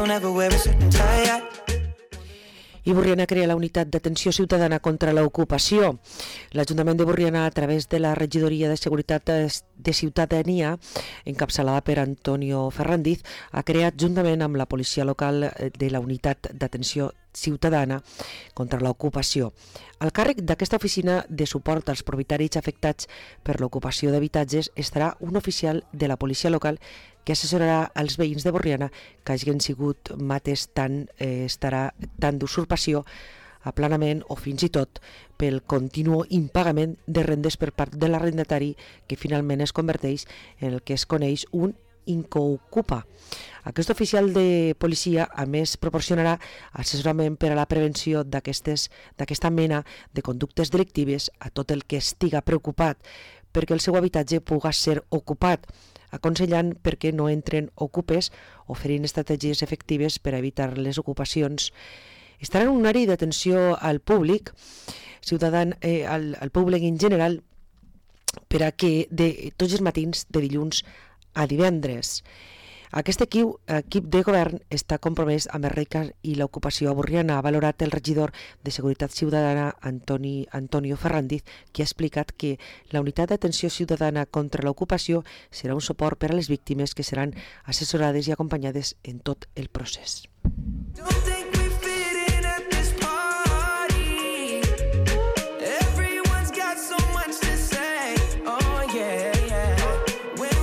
don't ever wear a suit and tie. I Borriana crea la unitat d'atenció ciutadana contra l'ocupació. L'Ajuntament de Borriana, a través de la Regidoria de Seguretat de Ciutadania, encapçalada per Antonio Ferrandiz, ha creat, juntament amb la policia local, de la unitat d'atenció ciutadana contra l'ocupació. Al càrrec d'aquesta oficina de suport als propietaris afectats per l'ocupació d'habitatges estarà un oficial de la policia local que assessorarà els veïns de Borriana que hagin sigut mates tant d'usurpació, aplanament o fins i tot pel continu impagament de rendes per part de l'arrendatari, que finalment es converteix en el que es coneix un incoocupa. Aquest oficial de policia, a més, proporcionarà assessorament per a la prevenció d'aquesta mena de conductes delictives a tot el que estiga preocupat perquè el seu habitatge pugui ser ocupat, aconsellant perquè no entren ocupes, oferint estratègies efectives per a evitar les ocupacions. Estarà en un horari d'atenció al públic, al públic en general, per a que de tots els matins de dilluns a divendres. Aquest equip de govern està compromès amb el RECA i l'ocupació a Borriana, ha valorat el regidor de Seguretat Ciutadana Antonio Ferrandiz, que ha explicat que la unitat d'atenció ciutadana contra l'ocupació serà un suport per a les víctimes que seran assessorades i acompanyades en tot el procés. Don't think